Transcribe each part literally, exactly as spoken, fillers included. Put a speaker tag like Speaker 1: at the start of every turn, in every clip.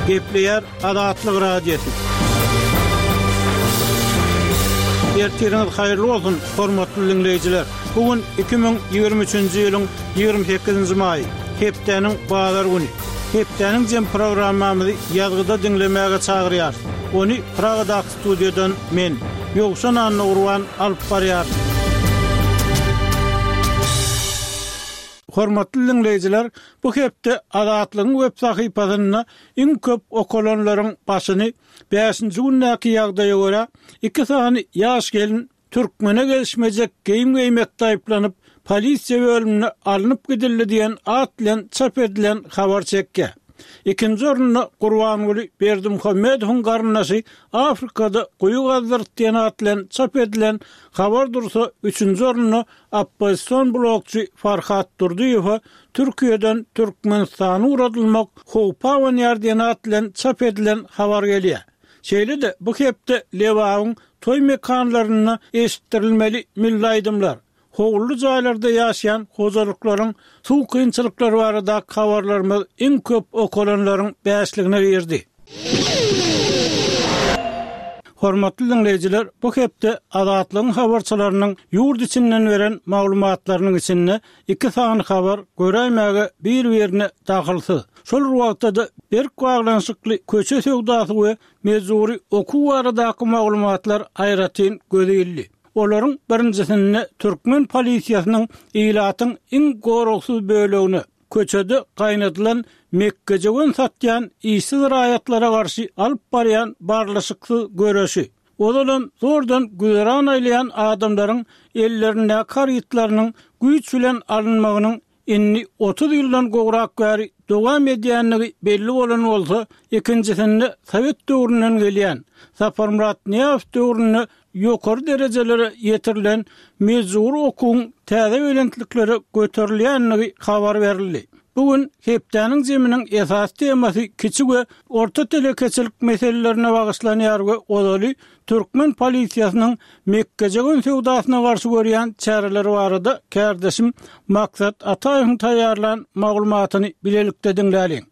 Speaker 1: Gepleýär Azatlyk Radiosy. Ertiriňiz haýyrly bolsun, hormatly dinleýjiler. Bu gün iki müň ýigrimi üçünji ýylyň ýigrimi sekizinji maýy, hepdäniň bazar güni. Hepdäniň jem programmamyzy ýazgyda diňlemäge çagyrýar. Ony Pragadaky studiýadan men, Ýowşan Annagurban alyp barýar. Hormatly dinleýjiler, bu hepde Azatlygyň web sahypasynda iň köp okalanlaryň başyny bäşinji gündäki ýagdaýa görä iki sany ýaş gelin Türkmene gelişmejek geýim geýmek taýyplanyp, polisiýa bölümine alnyp gidildi diýen at bilen çap edilen habar çekýär. Ikinji orunda Gurbanguly Berdimuhamedowyň garyndaşy Afrikada guýy gazdyrdy diýen at bilen çap edilen habar dursa, üçünji orunda oppozision blokçy Farhat Durdyýewa Türkiýeden Türkmenistana ugradylmak howpa abanýar diýen at bilen çap edilen habar gelýär. Şeýle-de bu hepde Lebabyň toý mekanlarynda eşitdirilmeli milli aýdymlar, howully jaýlarda ýaşaýan hojalyklaryň suw kynçylyklary barada habarlarymyz iň köp okalanlaryň bäşligine girdi. Hormatly dinleýjiler, bu hepde Azatlygyň habarçylarynyň ýurt içinden beren maglumatlarynyň içinde iki sany habar göräýmäge bir-birine dahylsyz. Şol wagtda-da berk baglanyşykly köçe söwdasy we mejburi okuw baradaky maglumatlar aýratyn göze ildi. Olaryň birinjisinde türkmen polisiýasynyň ilatyň iň goragsyz bölegine, köçede gaýnadylan mekgejöwen satýan işsiz raýatlara garşy alyp barýan barlyşyksyz göreşi, ozalam zordan güzeran aýlaýan adamlaryň ellerindäki harytlarynyň güýç bilen alynmagynyň indi otuz ýyldan gowrak bäri dowam edýänligi belli bolan bolsa, ikinjisinde Sowet döwründen gelýän Saparmyrat Nyýazow döwründe ýokary derejelere ýetirilen mejburi okuwyň täze belentliklere göterilýänligi habar berildi. Bugün hepdäniň zeminiň esas temasy kiçi we orta telekeçilik meselelerine bagyşlanýar we ozaly türkmen polisiýasynyň mekgejöwen söwdasyna garşy görýän çäreleri barada kärdeşim Maksat Ataýewiň taýýarlan maglumatyny bilelikde diňläliň.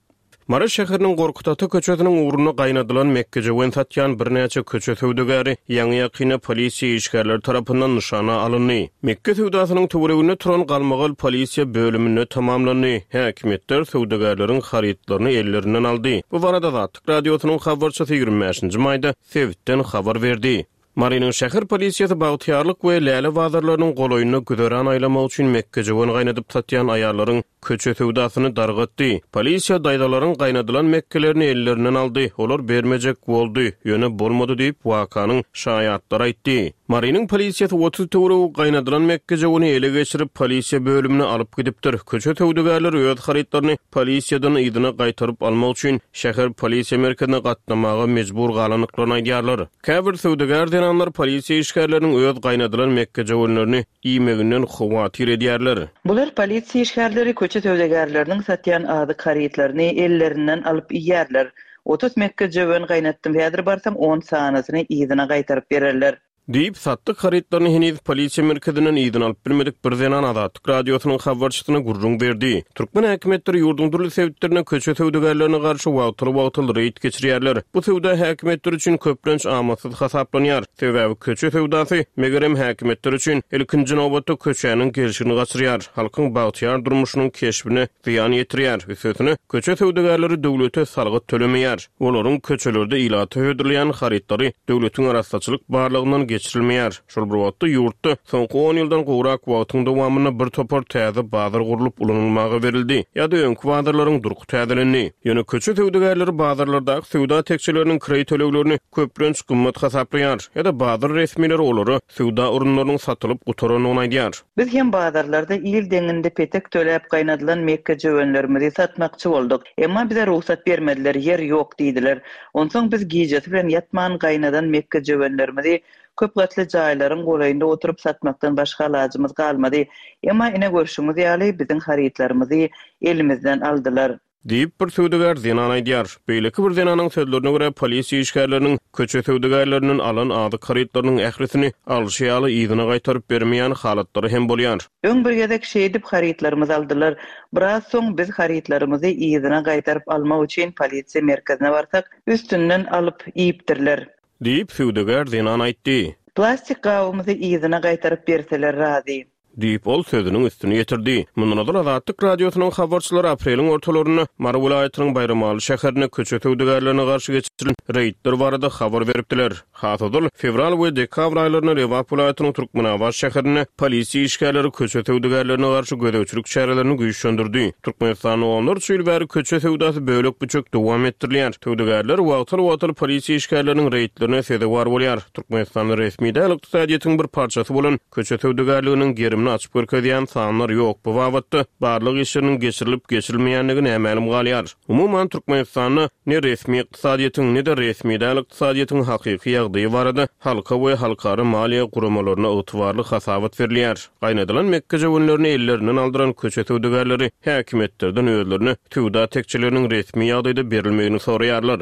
Speaker 2: Mary şäheriniň Gorkut ata köçesiniň ugrunda gaýnadylan mekgejöwen satýan birnäçe köçe söwdagäri ýaňy ýakynda polisiýa işgärleri tarapyndan nyşana alyndy. Mekke söwdasynyň töwereginde turan galmagal polisiýa bölüminde tamamlandy. Häkimiýetler söwdagärleriň harytlaryny ellerinden aldy. Bu barada Azatlyk radiosynyň habarçysy ýigrimi bäşinji maýda sebitden habar berdi. Marynyň şäher polisiýasy Bagtyýarlyk we Läle bazarlarynyň golaýynda güzeran aýlamak üçin mekgejöwen gaýnadyp satýan aýallaryň köçe söwdasyny dargatdy. Polisiýa daýzalaryň gaýnadylan mekkelerini ellerinden aldy. Olar bermejek boldy, ýöne bolmady diýip wakanyň şaýatlary aýtdy. Marynyň polisiýasy otuz töweregi gaýnadylan mekgejöweni ele geçirip polisiýa bölümine alyp gidipdir. Köçe söwdagärleri öz harytlaryny polisiýadan yzyna gaýtaryp almak üçin şäher polisiýa merkezine gatnamaga mejbur galandyklaryny aýdýarlar. Käbir söwdagär zenanlar polisiýa işgärleriniň öz gaýnadylan mekgejöwenlerini iýmeginden howatyr edýärler.
Speaker 3: Bular polisiýa işgärleri köçe söwdagärleriniň satýan azyk harytlaryny ellerinden alyp iýerler. Otuz mekgejöwen gaýnatdym, häzir barsam on sanysyny yzyna gaýtaryp bererler.
Speaker 2: Diýip, satdyk harytlaryny heniz polisiýa merkezinden yzyna alyp bilmedik bir zenan Azatlyk radiosynyň habarçysyna gürrüň berdi. Türkmen häkimiýetleri ýurduň dürli sebitlerine köçe söwdagärlerine garşy wagtal-wagtal reýd geçirýärler. Bu söwda häkimiýetleri üçin köplenç amatsyz hasaplanýar. Sebäbi köçe söwdasy megerem häkimiýetler üçin ilkinji nobatda köçäniň gelşigini gaçyrýar. Halkyň bagtyýar durmuşynyň keşbine zyýan ýetirýär. Üstesine köçe söwdagärleri döwlete salgyt tölemeýär. Olaryň köçelerde ilata hödürleýän harytlary döwletiň arassaçylyk barlygyndan geçirilmeýär. Şol bir wagtda ýurtda soňky on ýyldan gowrak wagtyň dowamynda bir topar täze bazar gurlup ulanylmaga berildi ýa-da öňki bazarlaryň durky täzelendi. Ýöne köçe söwdagärleri bazarlardaky söwda tekjeleriniň kireý töleglerini köplenç gymmat hasaplaýar ýa-da bazar resmileri olara söwda orunlarynyň satylyp gutarandygyny aýdýar.
Speaker 3: Biz hem bazarlarda il deňinde petek töläp gaýnadylan mekgejöwenlerimizi satmakçy bolduk. Emma bize rugsat bermediler, ýer ýok diýdiler. Onsoň biz gijesi bilen ýatman gaýnadan mekgejöwenlerimizi köp gatly jaýlaryň golaýynda oturyp satmakdan başga alajymyz galmady. Emma ine görşüňiz ýaly biziň harytlarymyzy elimizden aldylar.
Speaker 2: Diýip, bir söwdagär zenan aýdýar. Beýleki bir zenanyň sözlerine görä, polisiýa işgärleriniň köçe söwdagärlerinden alan azyk harytlarynyň ählisini alşy ýaly yzyna gaýtaryp bermeýän halatlary hem bolýar.
Speaker 3: Öň bir gezek şeýdip harytlarymyzy aldylar. Biraz soň biz harytlarymyzy yzyna gaýtaryp almak üçin polisiýa merkezine barsak, üstünden alyp iýipdirler.
Speaker 2: Diýip, söwdagär zenan aýtdy.
Speaker 3: Plastik gabymyzy yzyna gaýtaryp berseler razy.
Speaker 2: Diýip, ol sözüniň üstüni ýetirdi. Mundan ozal Azatlyk Radiosynyň habarçylary apreliň ortalarynda Mary welaýatynyň Baýramaly şäherinde köçe söwdagärlerine garşy geçirilen reýdler barada habar beripdiler. Has ozal, fewral we dekabr aýlarynda Lebap welaýatynyň Türkmenabat şäherinde polisiýa işgärleri köçe söwdagärlerine garşy gözegçilik çärelerini güýçlendirdi. Türkmenistanda onlarça ýyl bäri köçe söwdasy bölek-büçek dowam etdirilýär. Söwdagärler wagtal-wagtal polisiýa işgärleriniň reýdlerine sezewar bolýar. Türkmenistanda resmi däl ykdysadyýetiň bir parçasy bolan köçe söwdagärliginiň gerimini açyp görkezýän sanlar ýok. Bu babatda barlag işleriniň geçirilip-geçirilmeýändigi nämälim galýar. Umuman, Türkmenistanda ne resmi ykdysadyýetiň, ne-de resmi däl ykdysadyýetiň hakyky ýagdaýy barada halka we halkara maliýe guramalaryna ygtybarly hasabat berilýär. Gaýnadylan mekgejöwenlerini ellerinden aldyran köçe söwdagärleri häkimiýetlerden özlerine söwda tekjeleriniň resmi ýagdaýda berilmegini soraýarlar.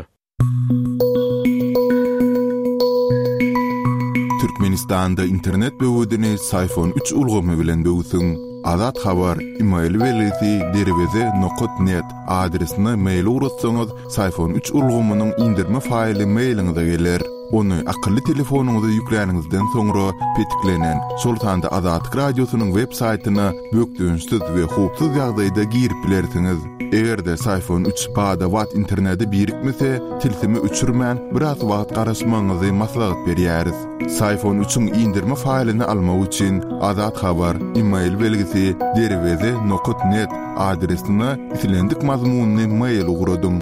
Speaker 4: Türkmenistanda internet böwedini Syfon üç ulgamy bilen böwsüň. Azat Habar, e-mail belgisi derweze nokat net adresine mail ugratsaňyz, Syfon üç ulgamynyň indirme faýly mailiňize geler. Ony akylly telefonyňyza ýükläniňizden soňra petiklenen, şol sanda Azatlyk Radiosynyň web saýtyna bökdençsiz we howpsuz ýagdaýda girip bilersiňiz. Eger-de Syfon üç bada-bat internete birikmese, tilsimi öçürmän biraz wagt garaşmagyňyzy maslahat berýäris. Syfon üçiň indirme faýlyny almak üçin Azat Habar, e-mail belgisi derweze nokat net adresine islendik mazmunyny mail ugradyň.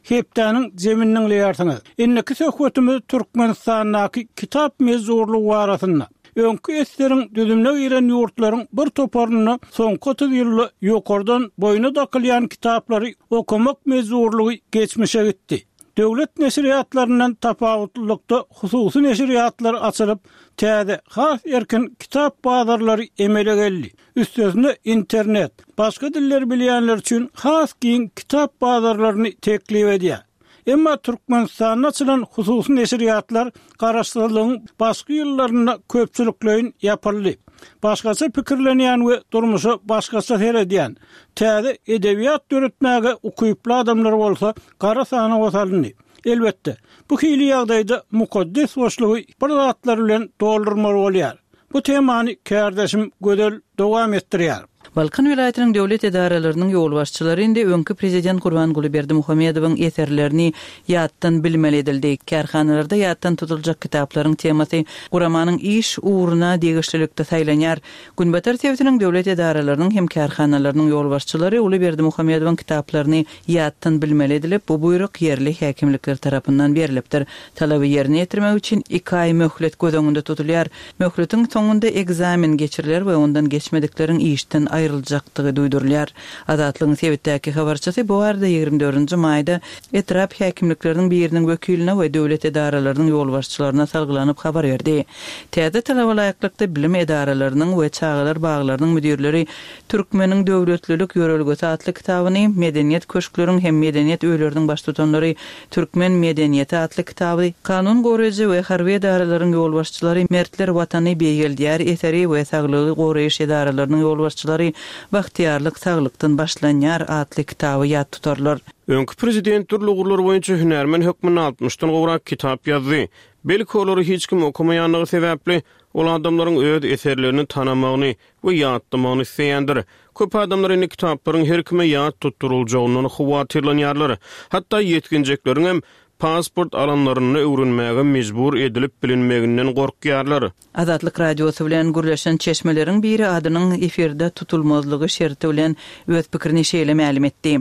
Speaker 1: Hepdäniň zeminiň diňleýärsiňiz. Indiki söhbetimiz Türkmenistandaky kitap mezurlygy barasynda. Öňki eseriň düzümine giren ýurtlaryň bir toparynda soňky otuz ýylda ýokardan boýuna dakylýan kitaplary okamak mezurlygy geçmişe gitdi. Döwlet neşirýatlaryndan tapawutlylykda hususy neşirýatlar açylyp, täze has erkin kitap bazarlary emele geldi. Üstesine internet, başga dilleri bilýänler üçin has giň kitap bazarlaryny teklip edýär. Emma Türkmenistanda açylan hususy neşirýatlar garaşsyzlygyň başky ýyllarynda köpçülikleýin ýapyldy. Başgaça pikirlenýän we durmuşa başgaça seredýän, täze edebiýat döretmäge ukyply adamlar bolsa gara sanawa salyndy. Elbetde, bu hili ýagdaýda mukaddes boşlugy bir zatlar bilen doldurmaly bolýar. Bu temany kärdeşim Gözel dowam etdirýär.
Speaker 3: Balkan welaýatynyň döwlet edaralarynyň ýolbaşçylary indi öňki prezident Gurbanguly Berdimuhamedowyň eserlerini ýatdan bilmeli edildi. Kärhanalarda ýatdan tutuljak kitaplaryň temasy guramanyň iş ugruna degişlilikde saýlanýar. Günbatar sebitiniň döwlet edaralarynyň hem kärhanalarynyň ýolbaşçylary Uly Berdimuhamedowyň kitaplaryny ýatdan bilmeli edilip, bu buýruk ýerli häkimlikler tarapyndan berilipdir. Talaby ýerine ýetirmek üçin iki aý möhlet göz öňünde tutulýar. Möhletiň soňunda ekzamen geçiriler we ondan geçmedikleriň işden aýryljakdygy duýdurylýar. Azatlygyň sebitdäki habarçysy bu arada ýigrimi dördünji maýda etrap häkimlikleriniň biriniň wekiline we döwlet edaralarynyň ýolbaşçylaryna salgylanyp habar berdi. Täze talaba laýyklykda bilim edaralarynyň we çagalar baglarynyň müdirleri Türkmeniň döwletlilik ýörelgesi atly kitabyny, medeniýet köşkleriň hem medeniýet öýleriniň baştutanlary Türkmen medeniýeti atly kitaby, kanun goraýjy we harby edaralaryň ýolbaşçylary Mertler watany beýgeldýär eseri we saglygy goraýyş edaralarynyň ýolbaşçylary Bagtyýarlyk saglykdan başlanýar atly kitaby ýat tutarlar.
Speaker 2: Öňki prezident dürli ugurlar boýunça hünärmen hökmünde altmyşdan gowrak kitap ýazdy. Belki olary hiç kim okamaýanlygy sebäpli, ol adamlaryň öz eserlerini tanamagyny we ýatlamagyny isleýändir. Köp adamlar indi kitaplaryň her kime ýat tutduryljagyndan howatyrlanýarlar. Hatda ýetginjekleriň hem pasport alanlarynda öwrenmäge mejbur edilip bilinmeginden gorkýarlar.
Speaker 3: Azatlyk Radiosy bilen gürleşen çeşmeleriň biri adynyň efirde tutulmazlygy şerti bilen öz pikirini şeýle mälim etdi.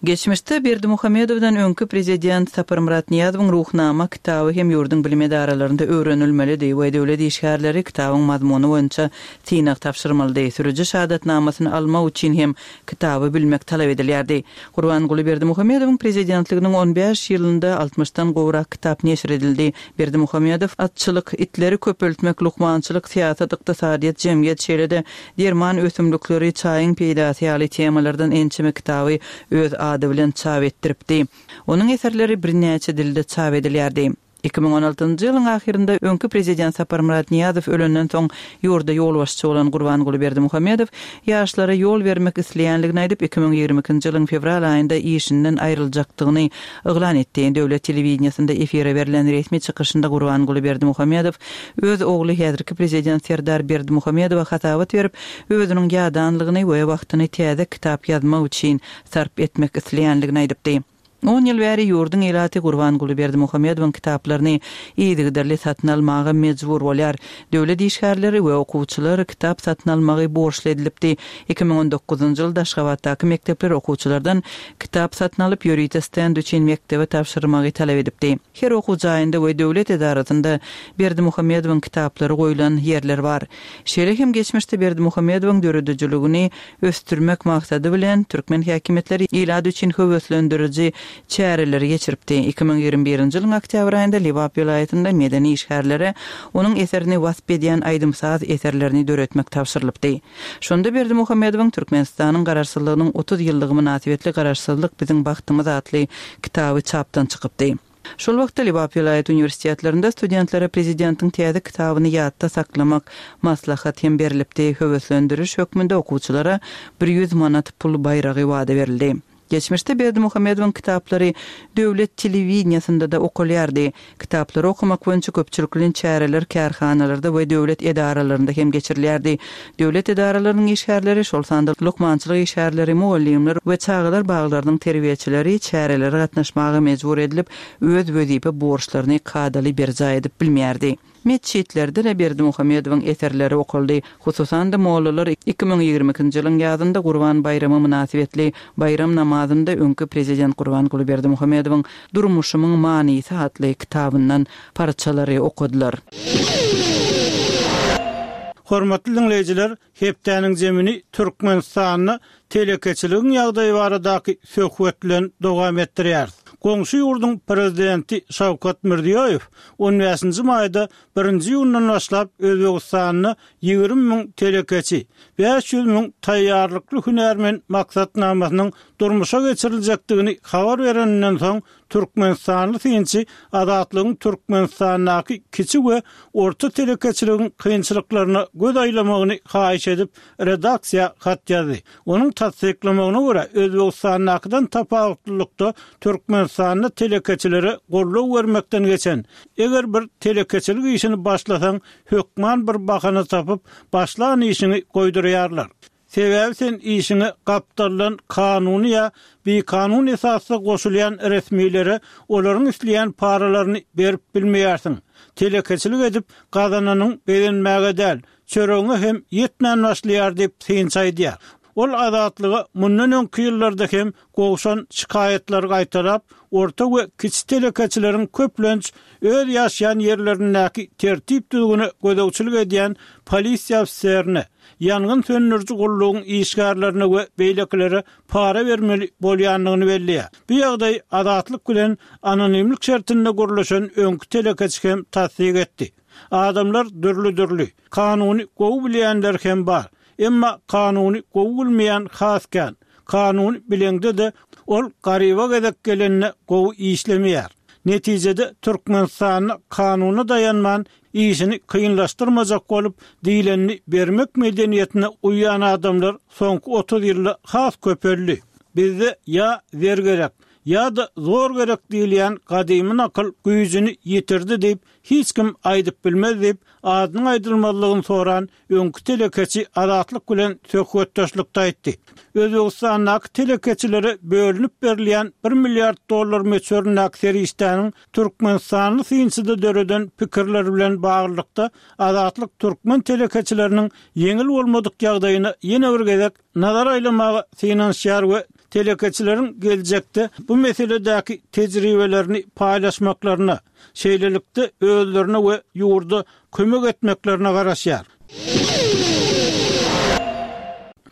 Speaker 3: Geçmişde Berdimuhamedowdan öňki prezident Saparmyrat Nyýazowyň Ruhnama kitaby hem ýurduň bilim edaralarynda öwrenilmelidi we döwlet işgärleri kitabyň mazmuny boýunça synag tabşyrmalydy. Sürüji şahadatnamasyny almak üçin hem kitaby bilmek talap edilýärdi. Gurbanguly Berdimuhamedowyň prezidentliginiň on bäş ýylynda altmyşdan gowrak kitap neşir edildi. Berdimuhamedow atçylyk, itleri köpeltmek, lukmançylyk, syýasat, ykdysadyýet, jemgyýet, şeýle-de derman ösümlikleri, çaýyň peýdasy ýaly temalardan ençeme kitaby öz ady bilen çap etdiripdi. Onuň eserleri birnäçe dilde çap edilýärdi. Iki müň on altynjy ýylyň ahyrynda öňki prezident Saparmyrat Nyýazow ölenden soň ýurda ýolbaşçy bolan Gurbanguly Berdimuhamedow ýaşlara ýol bermek isleýänligini aýdyp, iki müň ýigrimi ikinji ýylyň fewral aýynda işinden aýryljakdygyny yglan etdi. Döwlet telewideniýesinde efire berlen resmi çykyşynda Gurbanguly Berdimuhamedow öz ogly häzirki prezident Serdar Berdimuhamedowa hasabat berip, özüniň ýadanlygyny we wagtyny täze kitap ýazmak üçin sarp etmek isleýänligini aýdypdy. On ýyl bäri ýurduň ilaty Gurbanguly Berdimuhamedowyň kitaplaryny yzygiderli satyn almaga mejbur bolýar. Döwlet işgärleri we okuwçylar kitap satyn almagy borçly edilipdi. Iki müň on dokuzynjy ýylda Aşgabatdaky mekdepler okuwçylardan kitap satyn alyp, ýörite stend üçin mekdebe tabşyrmagy talap edipdi. Her okuw jaýynda we döwlet edarasynda Berdimuhamedowyň kitaplary goýlan ýerler bar. Şeýle hem geçmişde Berdimuhamedowyň döredijiligini ösdürmek maksady bilen türkmen häkimiýetleri ilat üçin höweslendiriji çäreleri geçiripdi. Iki müň ýigrimi birinji ýylyň oktýabr aýynda Lebap welaýatynda medeni işgärlere onuň eserini wasp edýän aýdym-saz eserlerini döretmek tabşyrylypdy. Şonda Berdimuhamedowyň Türkmenistanyň Garaşsyzlygynyň otuz ýyllygy mynasybetli Garaşsyzlyk biziň bagtymyz atly kitaby çapdan çykypdy. Şol wagtda Lebap welaýat uniwersitetlerinde studentlere prezidentiň täze kitabyny ýatda saklamak maslahat hem berilipdi. Höweslendiriş hökmünde okuwçylara bir ýüz manat pul baýragy wada berildi. Geçmişde Berdimuhamedowyň kitaplary döwlet telewideniýesinde-de okalýardy. Kitaplary okamak boýunça köpçülikleýin çäreler kärhanalarda we döwlet edaralarynda hem geçirilýärdi. Döwlet edaralarynyň işgärleri, şol sanda lukmançylyk işgärleri, mugallymlar we çagalar baglarynyň terbiýeçileri çärelere gatnaşmaga mejbur edilip, öz wezipe borçlaryny kadaly berjaý edip bilmeýärdi. Metjitlerde-de Berdimuhamedowyň eserleri okaldy. Hususan-da mollalar iki müň ýigrimi ikinji ýylyň ýazynda Gurban baýramy mynasybetli baýram namazynda öňki prezident Gurbanguly Berdimuhamedowyň Durmuşymyň manysy atly kitabyndan parçalary okadylar.
Speaker 1: Hormatly dinleýjiler, hepdäniň zemini Türkmenistanda telekeçiligiň ýagdaýy baradaky söhbet bilen dowam etdirýär. Goňşy ýurduň prezidenti Şawkat Mirziýoýew on bäşinji maýda birinji iýundan başlap Özbegistanda ýigrimi müň telekeçi, bäş ýüz müň taýýarlykly hünärmen maksatnamasynyň durmuşa geçiriljekdigini habar bereninden soň Türkmenistanly synçy Azatlygyň Türkmenistandaky kiçi we orta telekeçiligiň kynçylyklaryna göz aýlamagyny haýyş edip redaksiýa hat ýazdy. Onuň tassyklamagyna görä Özbegistandakydan tapawutlylykda Türkmenistanda telekeçilere goldaw bermekden geçen, eger bir telekeçilik işini başlasaň, hökman bir bahana tapyp başlan işini goýdurýarlar. Sebäbi sen işiňe gapdaldan kanuny ýa bikanun esasda goşulýan resmilere olaryň isleýän paralaryny berip bilmeýärsiň. Telekeçilik edip gazananyň bezenmäge däl, çöregiňe hem ýetmän başlaýar diýip synçy aýdýar. Ol azatlyga mundan öňki ýyllarda hem gowşan şikaýatlary gaýtalap, orta we kiçi telekeçileriň köplenç öz ýaşaýan ýerlerindäki tertip düzgüne gözegçilik edýän polisiýa ofiserine, ýangyn söndüriji gullugyň işgärlerine we beýlekilere para bermeli bolýandygyny belleýär. Bu ýagdaý azatlyk bilen anonimlik şertinde gurluşan öňki telekeçi hem tassyk etdi. Adamlar dürli-dürli, kanuny gowy bilýänler hem bar. Emma kanuny gowy bilmeýän has kän. Kanuny bilende-de ol garyba gezek gelende gowy işlemeýär. Netijede Türkmenistanda kanuna daýanman işini kynlaşdyrmajak bolup diýlenini bermek medeniýetine uýan adamlar soňky otuz ýylda has köpeldi. Bizde ýa zer gerek, ýa-da zor gerek diýilýän gadymy nakyl güýjüni ýitirdi diýip hiç kim aýdyp bilmez diýip adynyň aýdylmazlygyny soran öňki telekeçi Azatlyk bilen söhbetdeşlikde aýtdy. Özbegistandaky telekeçilere bölünip berilýän bir milliard dollar möçberindäki serişdäniň Türkmenistanly synçyda döreden pikirler bilen baglylykda Azatlyk türkmen telekeçileriniň ýeňil bolmadyk ýagdaýyna ýene bir gezek nazar aýlamaga synanyşýar we Telekeçileriň geljekde bu meseledäki tejribelerini paýlaşmaklaryna, şeýlelikde özlerine we ýurda kömek etmeklerine garaşýar.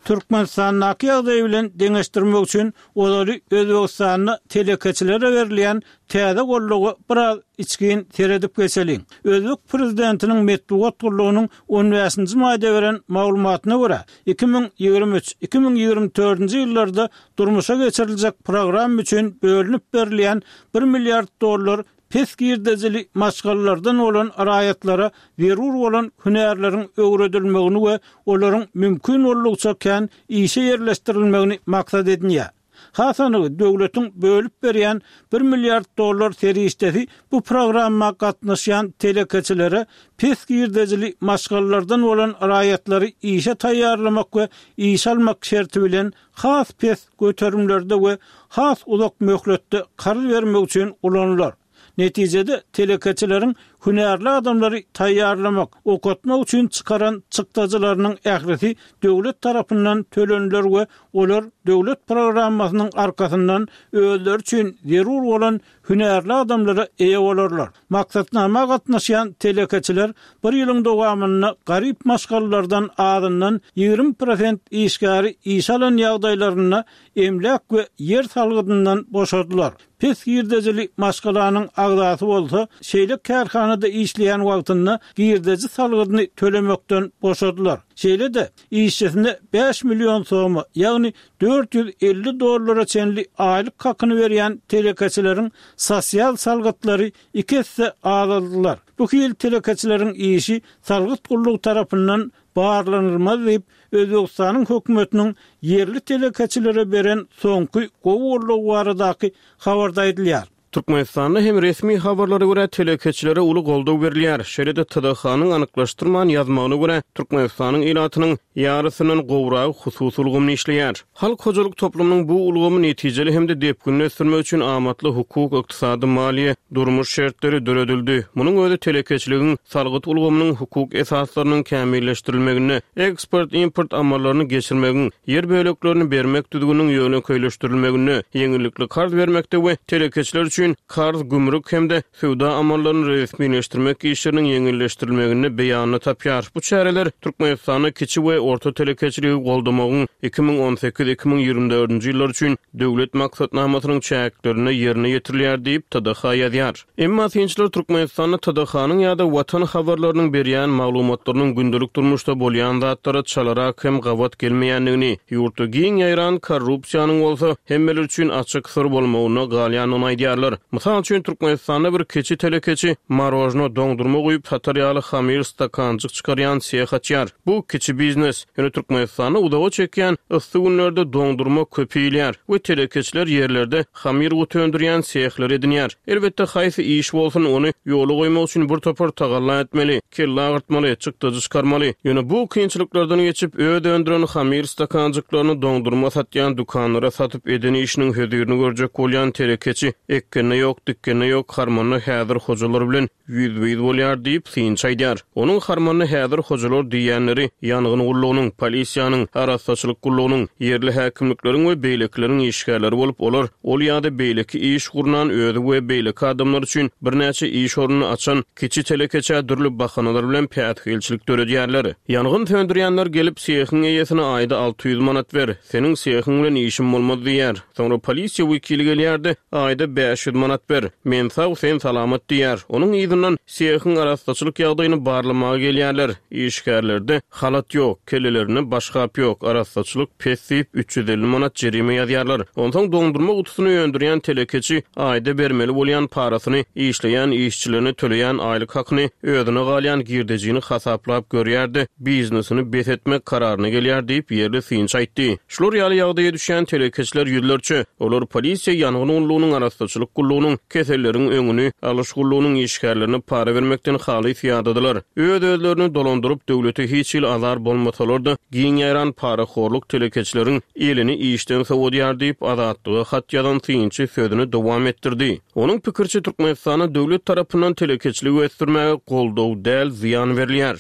Speaker 1: Türkmenistandaky ýagdaý bilen deňeşdirmek üçin ozaly Özbegistanda telekeçilere berilýän täze goldawa biraz içgin seredip geçeliň. Özbek prezidentiniň metbugat gullugynyň on bäşinji maýda beren maglumatyna görä, iki müň ýigrimi üç, iki müň ýigrimi dördünji ýyllarda durmuşa geçiriljek programma üçin bölünip berilýän bir milliard dollar pes girdejili maşgalalardan bolan raýatlara zerur bolan hünärleriň öwredilmegini we olaryň mümkin boldugyça kän işe ýerleşdirilmegini maksat edinýär. Has anygy, döwletiň bölüp berýän bir milliard dollar serişdesi bu programma gatnaşýan telekeçilere pes girdejili maşgalalardan bolan raýatlary işe taýýarlamak we işe almak şerti bilen has pes göterimlerde we has uzak möhletde karz bermek üçin ulanylar. Netijede telekeçileriň hünärli adamlary taýýarlamak, okatmak üçin çykaran çykdajylarynyň ählisi döwlet tarapyndan töleniler we olar döwlet programmasynyň arkasyndan özleri üçin zerur bolan hünärli adamlara eýe bolarlar. Maksatnama gatnaşýan telekeçiler bir ýylyň dowamynda garyp maşgalalardan azyndan ýigrimi prosent işgäri işe alan ýagdaýlarynda emläk we ýer salgydyndan boşadylar. Pes girdejili maşgalanyň agzasy bolsa, şeýle kärhanada işleýän wagtynda girdeji salgydyny tölemekden boşadylar. Şeýle-de işçisine bäş million soma, ýagny dört ýüz elli dollara çenli aýlyk hakyny berýän telekeçileriň sosial salgytlary iki esse azaldylar. Bu hil telekeçileriň işi salgyt gullugy tarapyndan barlanylmaz diýip, Özbegistanyň hökümetiniň ýerli telekeçilere beren soňky gowy goldawy baradaky habarda aýdylýar.
Speaker 2: Türkmenistanda hem resmi habarlara görä telekeçilere uly goldaw berilýär. Şeýle-de T D H-nyň anyklaşdyrman ýazmagyna görä Türkmenistanyň ilatynyň ýarysyndan gowragy hususy ulgamyny işleýär. Halk hojalyk toplumynyň bu ulgamy netijeli hem-de depginli ösdürmek üçin amatly hukuk, ykdysady, maliýe, durmuş şertleri döredildi. Munuň özi telekeçiligiň salgyt ulgamynyň hukuk esaslarynyň kämilleşdirilmeginde, eksport-import amallaryny geçirmegiň, ýer böleklerini bermek düzgüniniň ýönekeýleşdirilmeginde, ýeňillikli karz bermekde we telekeçiler üçin karz, gümrük hem-de söwda amallaryny resmileşdirmek işleriniň ýeňilleşdirilmeginde beýanyny tapýar. Bu çäreler Türkmenistanda kiçi we orta telekeçiligi goldamagyň iki müň on sekiz iki müň ýigrimi dördünji ýyllar üçin döwlet maksatnamasynyň çäklerinde ýerine ýetirilýär diýip T D H ýazýar. Emma synçylar Türkmenistanda T D H-nyň ýa-da Watan habarlarynyň berýän maglumatlarynyň gündelik durmuşda bolýan zatlara çalarak hem gabat gelmeýändigini, ýurtda giň ýaýran korrupsiýanyň bolsa hemmeler üçin açyk syr bolmagyna galýandygyny aýdýarlar. Mysal üçin Türkmenistanda bir kiçi telekeçi marojno doňdurma guýup satar ýaly hamir stakanjyk çykarýan seh açýar. Bu kiçi biznes. Ýöne Türkmenistanda uzaga çekýän yssy günlerde doňdurma köp iýilýär we telekeçiler ýerlerde hamir guty öndürýän sehler edinýär. Elbetde haýsy iş bolsun ony ýola goýmak üçin bir topar tagalla etmeli, kelle agyrtmaly, çykdajy çykarmaly. Ýöne bu kynçylyklardan geçip öz öndüren hamir stakanjyklaryny doňdurma satýan dükanlara satyp eden işiniň hözirini görjek bolýan telekeçi ekkende ýok, dikkende ýok, harmanda häzir hojalar bilen ýüzbe-ýüz bolýar diýip synçy aýdýar. Onuň harmanda häzir hojalar diýenleri ýangyn gullugynyň, polisiýanyň, arassaçylyk gullugynyň, ýerli häkimlikleriň we beýlekileriň işgärleri bolup, olar ol ýa-da beýleki iş gurnan özi we beýleki adamlar üçin birnäçe iş ornuny açan kiçi telekeçä dürli bahanalar bilen päsgelçilik döredýärler. Ýangyn söndürýänler gelip sehiň eýesine aýda alty ýüz manat ber, seniň sehiň bilen işim bolmaz diýär. Soňra polisiýa wekili gelýärdi, aýda bäş ýüz manat ber, men sag, sen salamat diýär. Onuň yzyndan sehiň arassaçylyk ýagdaýyny barlamaga gelýärler. Işgärlerde halat ýok, kellelerinde başgap ýok, arassaçylyk pes diýip üç ýüz elli manat jerime ýazýarlar. Onsoň doňdurma gutusyny öndürýän telekeçi aýda bermeli bolýan parasyny, işleýän işçilerine töleýän aýlyk hakyny, özüne galýan girdejini hasaplap görýärdi, biznesini bes etmek kararyna gelýär diýip ýerli synçy aýtdy. Şular ýaly ýagdaýa düşýän telekeçiler ýüzlerçe, olar polisiýa ýangyn gullugynyň, arassaçylyk gullugynyň, keselleriň öňüni alyş gullugynyň işgärlerine para bermekden halys ýadadylar. Öz-özlerini dolandyryp döwlete hiç hili azar bolmasalar-da giň ýaýran parahorluk telekeçileriň elini işden sowadýar diýip Azatlyga hat ýazan synçy sözüni dowam etdirdi. Onuň pikirçe Türkmenistanda döwlet tarapyndan telekeçiligi ösdürmäge goldaw däl zyýan berilýär.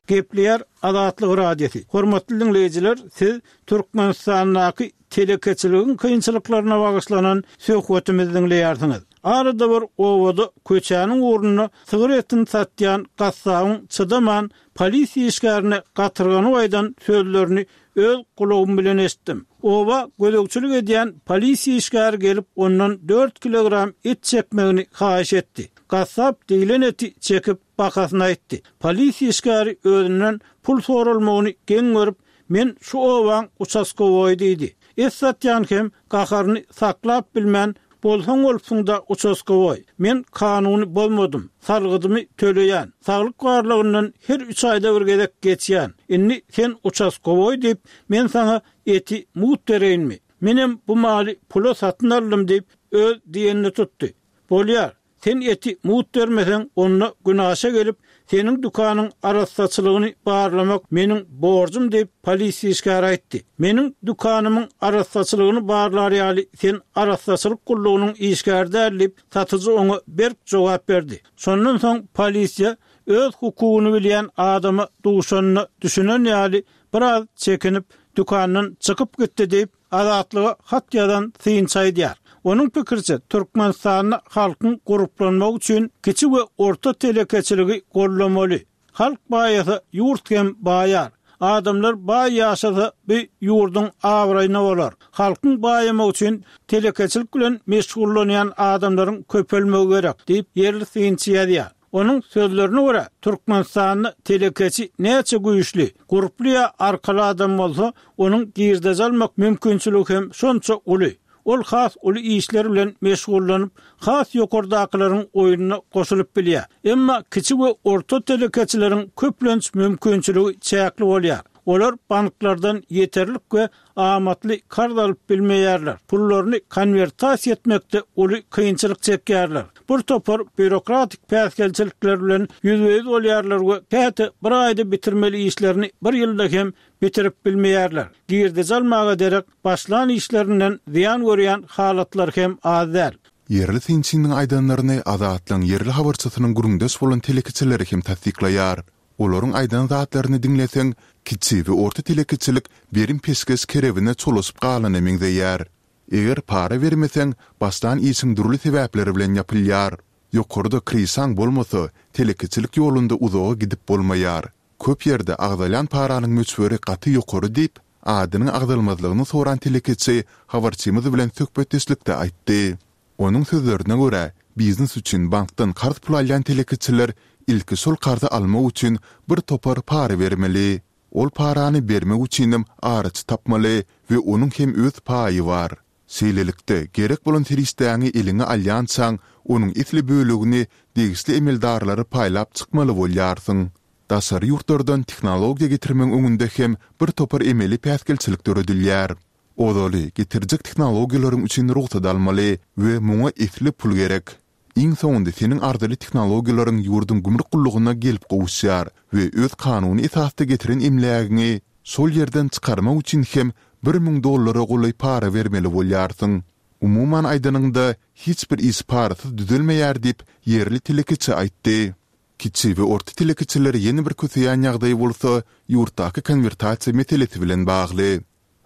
Speaker 1: Gepleýär Azatlyk Radiosy. Hormatly diňleýjiler, siz Türkmenistandaky telekeçiligiň kynçylyklaryna bagyşlanan söhbetimizi diňleýärsiňiz. Arada bir obada köçäniň ugrunda sygyr etini satýan gassabyň çydaman polisiýa işgärine gatyrganyp aýdan sözlerini öz gulagym bilen eşitdim. Oba gözegçilik edýän polisiýa işgäri gelip ondan dört kilogram et çekmegini haýyş etdi. Gassap diýlen eti çekip bahasyny aýtdy. Polisiýa işgäri özünden pul soralmagyny geň görüp, Men şu obaň uçaskowoýy diýdi. Et satýan hem gaharyny saklap bilmän, Bolsaň bolupsyň-da uçaskowoý. Men kanuny bozmadym. Salgydymy töleýän. Saglyk barlagyndan her üç aýda bir gezek geçýän. Indi sen uçaskowoý diýip, men saňa eti mugt bereýinmi? Menem bu maly pula satyn aldym diýip, öz diýenini tutdy. Bolýar, sen eti mugt bermeseň, onda günaşa gelip, seniň dükanyň arassaçylygyny barlamak meniň borjum diýip, polisiýa işgäri aýtdy. Meniň dükanymyň arassaçylygyny barlar ýaly sen arassaçylyk gullugynyň işgäri däl diýip, satyjy oňa berk jogap berdi. Şondan soň polisiýa öz hukugyny bilýän adama duşanyna düşünen ýaly biraz çekinip, dükandan çykyp gitdi diýip, Azatlyga hat ýazan synçy aýdýar. Onuň pikiriçe, Türkmenistanda halkyň gurplanmagy üçin kiçi we orta telekeçiligi goldamaly. Halk baýasa, ýurt hem baýar. Adamlar baý ýaşasa, bu ýurduň abraýyna bolar. Halkyň baýamagy üçin telekeçilik bilen meşgullanýan adamlaryň köpelmegi gerek diýip, ýerli synçy ýazýar. Onuň sözlerine görä, Türkmenistanda telekeçi näçe güýçli, gurply ýa arkaly adam bolsa, onuň girdeji almak mümkinçiligi hem şonça uly. Ol has uly işler bilen meşgullanyp, has ýokardakylaryň oýnuna goşulyp bilýär. Emma kiçi we orta telekeçileriň köplenç mümkinçiligi çäkli bolýar. Olar banklardan ýeterlik we amatly karz alyp bilmeýärler, pullaryny konwertasiýa etmekde uly kynçylyk çekýärler, bir topar býurokratik päsgelçilikler bilen ýüzbe-ýüz bolýarlar we käte bir aýda bitirmeli işlerini bir ýylda hem bitirip bilmeýärler. Girdeji almaga derek, başlan işlerinden zyýan görýän halatlar hem az däl.
Speaker 4: Ýerli synçynyň aýdanlaryny Azatlygyň ýerli habarçysynyň gürrüňdeş bolan telekeçileri hem tassyklaýar. Olaryň aýdan zatlaryny diňleseň, kiçi we orta telekeçilik berim-peşgeş kerebine çolaşyp galana meňzeýär. Eger para bermeseň, başlan işiň dürli sebäpler bilen ýapylýar. Ýokarda kryşaň bolmasa, telekeçilik ýolunda uzaga gidip bolmaýar. Köp ýerde agzalýan paranyň möçberi gaty ýokary diýip, adynyň agzalmazlygyny soran telekeçi habarçymyz bilen söhbetdeşlikde aýtdy. Onuň sözlerine görä, biznes üçin bankdan karz pul alýan telekeçiler ilki şol karzy almak üçin bir topar para bermeli. Ol parany bermek üçinem araçy tapmaly we onuň hem öz paýy bar. Şeýlelikde, gerek bolan serişdäňi eliňe alýançaň, onuň esli bölegini degişli emeldarlara paýlap çykmaly bolýarsyň. Daşary ýurtlardan tehnologiýa getirmegiň öňünde hem bir topar emeli päsgelçilik döredilýär. Ozaly, getirjek tehnologiýalaryň üçin rugsat almaly we muňa esli pul gerek. Iň soňunda seniň arzyly tehnologiýalaryň ýurduň gümrük gullugyna gelip gowuşýar we öz kanuny esasda getiren emlägiňi şol ýerden çykarmak üçin hem bir müň dollara golaý para bermeli bolýarsyň. Umuman aýdanyňda, hiç bir iş parasyz düzelmeýär diýip, ýerli telekeçi aýtdy. Kiçi we orta telekeçileri ýene bir köseýän ýagdaý bolsa ýurtdaky konwertasiýa meselesi bilen bagly.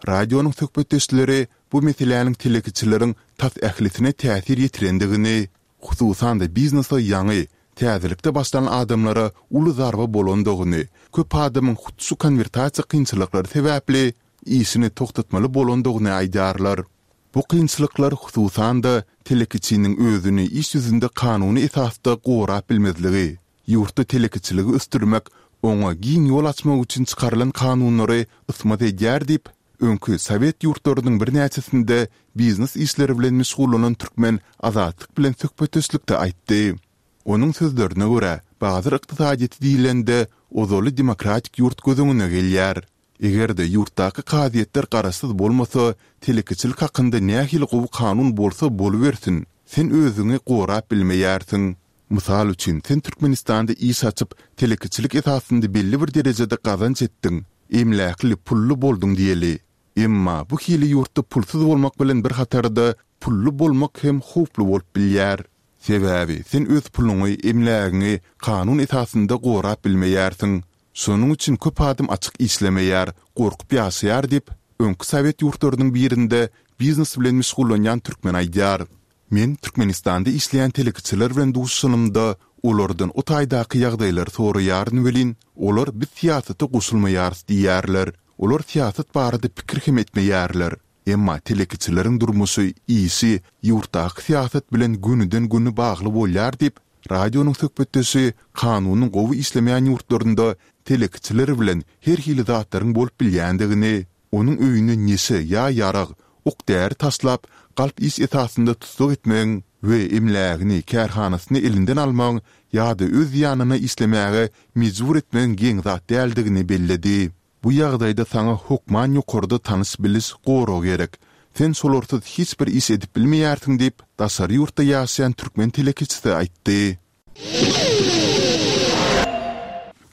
Speaker 4: Radionyň söhbetdeşleri bu meseläniň telekeçileriň tas ählisine täsir ýetirendigini, hususan-da biznese ýaňy, täzelikde başlan adamlara uly zarba bolandygyny, köp adamyň hut şu konwertasiýa kynçylyklary sebäpli işini togtatmaly bolandygyny aýdýarlar. Bu kynçylyklar hususan-da telekeçiniň özüni iş ýüzünde kanuny esasda gorap bilmezligi, Ýurtda telekeçiligi ösdürmek, oňa giň ýol açmak üçin çykarylan kanunlary ysmaz edýär diýip, öňki sowet ýurtlarynyň birnäçesinde biznes işleri bilen meşgullanan türkmen Azatlyk bilen söhbetdeşlikde aýtdy. Onuň sözlerine görä, bazar ykdysadyýeti diýlende, ozaly demokratik ýurt göz öňüne gelýär. Eger-de ýurtdaky kazyýetler garaşsyz bolmasa, telekeçilik hakynda nähili gowy kanun bolsa bolubersin, sen özüňi gorap bilmeýärsiň. Mysal üçin, sen Türkmenistanda iş açyp, telekeçilik esasynda belli bir derejede gazanç etdiň, emläkli, pully bolduň diýeli. Emma bu hili ýurtda pulsuz bolmak bilen bir hatarda pully bolmak hem howply bolup bilýär. Sebäbi sen öz puluňy, emlägiňi kanun esasynda gorap bilmeýärsiň. Şonuň üçin köp adam açyk işlemeýär, gorkup ýaşaýar diýip, öňki sowet ýurtlarynyň birinde biznes bilen meşgullanýan türkmen aýdýar. Men Türkmenistanda işleýän telekeçiler bilen duşuşanymda, olardan o taýdaky ýagdaýlary soraýaryn welin, olar biz syýasata goşulmaýarys diýýärler. Olar syýasat barada pikir hem etmeýärler. Emma telekeçileriň durmuşy, işi ýurtdaky syýasat bilen gönüden-göni bagly bolýar diýip, radionyň söhbetdeşi kanunyň gowy işlemeýän ýurtlarynda telekeçiler bilen her hili zatlaryň bolup bilýändigini, onuň öýüne neşe ýa ýarag, ok-däri taşlap, galp iş esasynda tussag etmegiň we emlägini, kärhanasyny elinden almagyň ýa-da öz zyýanyna işlemäge mejbur etmegiň geň zat däldigini belledi. Bu ýagdaýda saňa hokman ýokarda tanyş-biliş, gorag gerek. Sen şolarsyz hiç bir iş edip bilmeýärsiň diýip, daşary ýurtda ýaşaýan türkmen telekeçisi aýtdy.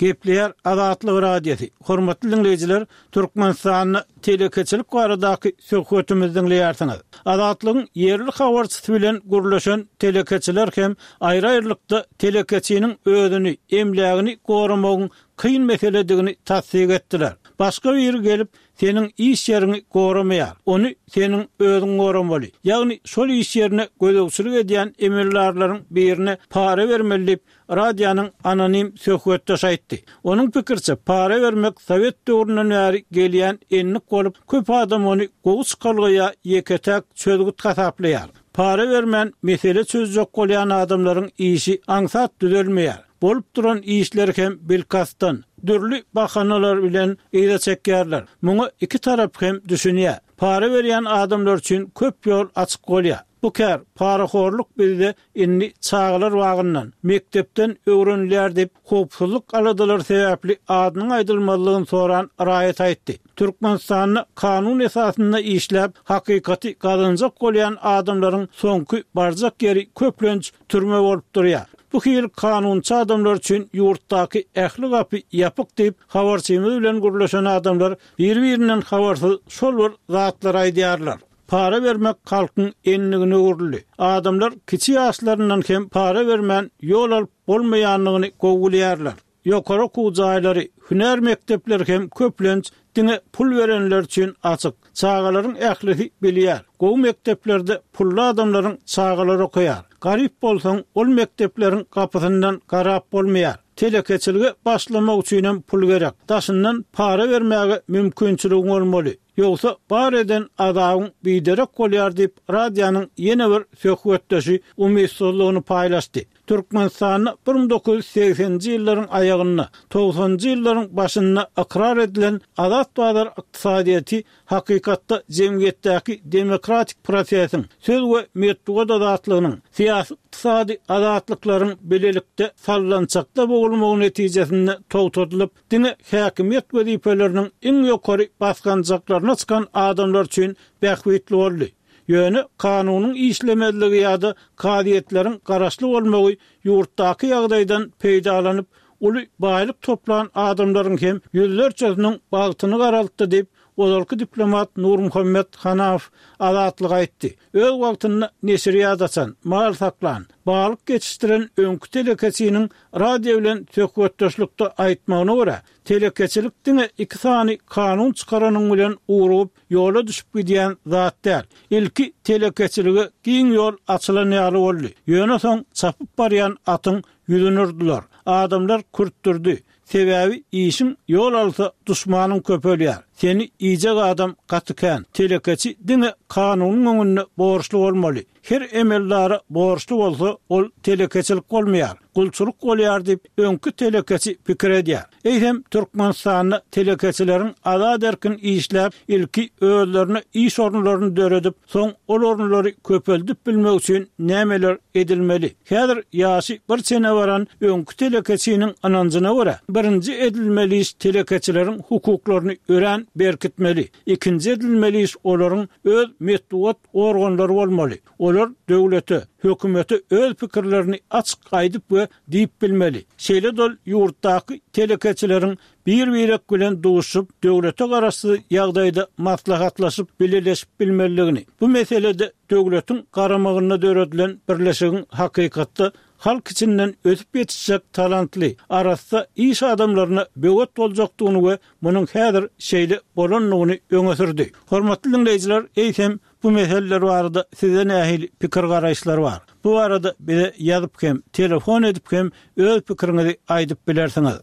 Speaker 1: Gepleýär Azatlyk Radiosy. Hormatly diňleýjiler, Türkmenistanda telekeçilik baradaky söhbetimizi diňleýärsiňiz. Azatlygyň ýerli habarçysy bilen gürleşen telekeçiler hem aýry-aýrylykda telekeçiniň özüni, emlägini goramagyň kyn meseledigini tassyk etdiler. Başga biri gelip, seniň iş ýeriňi goramaýar. Ony seniň özüň goramaly. Ýagny şol iş ýerine gözegçilik edýän emeldarlaryň birine para bermeli diýip, radionyň anonim söhbetdeşi aýtdy. Onuň pikiriçe, para bermek sowet döwründen bäri gelýän endik bolup, köp adam ony gowy çykalga ýa ýeke-täk çözgüt hasaplaýar. Para bermän mesele çözjek bolýan adamlaryň işi aňsat düzelmeýär. Bolup duran işleri hem bilkastdan, dürli bahanalar bilen yza çekýärler. Muňa iki tarap hem düşünýär. Para berýän adamlar üçin köp ýol açyk bolýar. Bu kär, parahorluk bizde indi çagalar bagyndan, mekdepden öwrenilýär diýip, howpsuzlyk aladalary sebäpli adynyň aýdylmazlygyny soran raýat aýtdy. Türkmenistanda kanun esasynda işläp, hakykaty gazanjak bolýan adamlaryň soňky barjak ýeri köplenç türme bolup durýar. Bu hili kanunçy adamlar üçin ýurtdaky ähli gapy ýapyk diýip, habarçymyz bilen gürleşen adamlar biri-birinden habarsyz şol bir zatlary aýdýarlar. Para bermek halkyň endigine öwrüldi. Adamlar kiçi ýaşlaryndan hem para bermän ýol alyp bolmaýandygyny gowy bilýärler. Ýokary okuw jaýlary, hünär mekdepleri hem köplenç diňe pul berenler üçin açyk. Çagalaryň ählisi bilýär, gowy mekdeplerde pully adamlaryň çagalary okaýar. Garyp bolsaň, ol mekdepleriň gapysyndan garap bolmaýar. Telekeçilige başlamak üçinem pul gerek. Daşyndan para bermäge mümkinçiligiň bolmaly. Ýogsa bar eden azabyň biderek bolýar diýip, radionyň ýene bir söhbetdeşi umytsyzlygyny paýlaşdy. Türkmenistanda bir müň dokuz ýüz segseninji ýyllaryň aýagynda, togsanynjy ýyllaryň başynda ykrar edilen azat bazar ykdysadyýeti hakykatda jemgyýetdäki demokratik prosesiň, söz we metbugat azatlygynyň, syýasy-ykdysady azatlyklaryň bilelikde sallançakda bogulmagy netijesinde togtadylyp, diňe häkimiýet wezipeleriniň iň ýokary basgançaklaryna çykan adamlar üçin bähbitli boldy. Ýöne kanunyň işlemezligi ýa-da kazyýetleriň garaşly bolmagy ýurtdaky ýagdaýdan peýdalanyp, uly baýlyk toplan adamlaryň hem ýüzlerçesiniň bagtyny garaltdy diýip, ozalky diplomat Nurmuhammet Hanafow Azatlyga aýtdy. Öz wagtynda neşirýat açan, mal saklan, balyk ýetişdiren öňki telekeçiniň radio bilen söhbetdeşlikde aýtmagyna görä, telekeçilik diňe iki sany kanun çykaranyň bilen ugrugyp, ýola düşüp gidýän zat däl. Ilki telekeçilige giň ýol açylan ýaly boldy. Ýöne soň çapyp barýan atyň ýüzüni urdular. Adamlar kürtdürdi. Sebäbi işiň ýol alsa duşmanyň köpelýär. Seni iýjek adam gaty kän. Telekeçi diňe kanunyň öňünde borçly bolmaly. Her emeldara borçly bolsa, ol telekeçilik bolmaýar, gulçulyk bolýar diýip, öňki telekeçi pikir edýär. Eýsem, Türkmenistanda telekeçileriň azat-erkin işläp, ilki özlerine iş orunlaryny döredip, soň ol orunlary köpeldip bilmek üçin nämeler edilmeli? Häzir ýaşy bir çene baran öňki telekeçiniň ynanjyna görä, birinji edilmeli iş telekeçileriň hukuklaryny örän berkitmeli, ikinji edilmeli iş olaryň öz metbugat organlary bolmaly. Olar döwlete, hökümete öz pikirlerini açyk aýdyp we diýip bilmeli. Şeýle-de ol ýurtdaky telekeçileriň bir-birek bilen duşup, döwlete garaşsyz ýagdaýda maslahatlaşyp, bileleşip bilmelidigini, bu meselede döwletiň garamagynda döredilen birleşigiň hakykatda halk içinden ösüp ýetişjek talantly, arassa iş adamlaryna böwet boljakdygyny we munuň häzir şeýle bolandygyny öňe sürdi. Hormatly diňleýjiler, eýsem bu meseleler barada sizde nähili pikir garaýyşlar bar? Bu barada bize ýazyp hem, telefon edip hem öz pikiriňizi aýdyp bilersiňiz.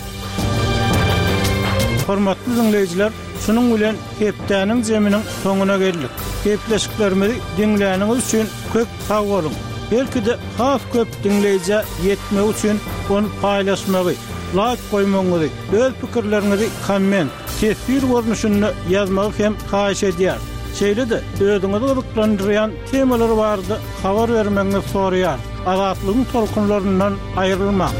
Speaker 1: Hormatly diňleýjiler, şunuň bilen hepdäniň zeminiň soňuna geldik. Gepleşiklerimizi diňläniňiz üçin köp sag boluň. Belki-de has köp diňleýjä ýetmek üçin ony paýlaşmagy, laýk goýmagyňyzy, öz pikirleriňizi komment, teswir görnüşinde ýazmagy hem haýyş edýär. Şeýle-de özüňizi gyzyklandyrýan temalar barada habar bermegiňizi soraýar. Azatlygyň tolkunlaryndan aýrylmaň.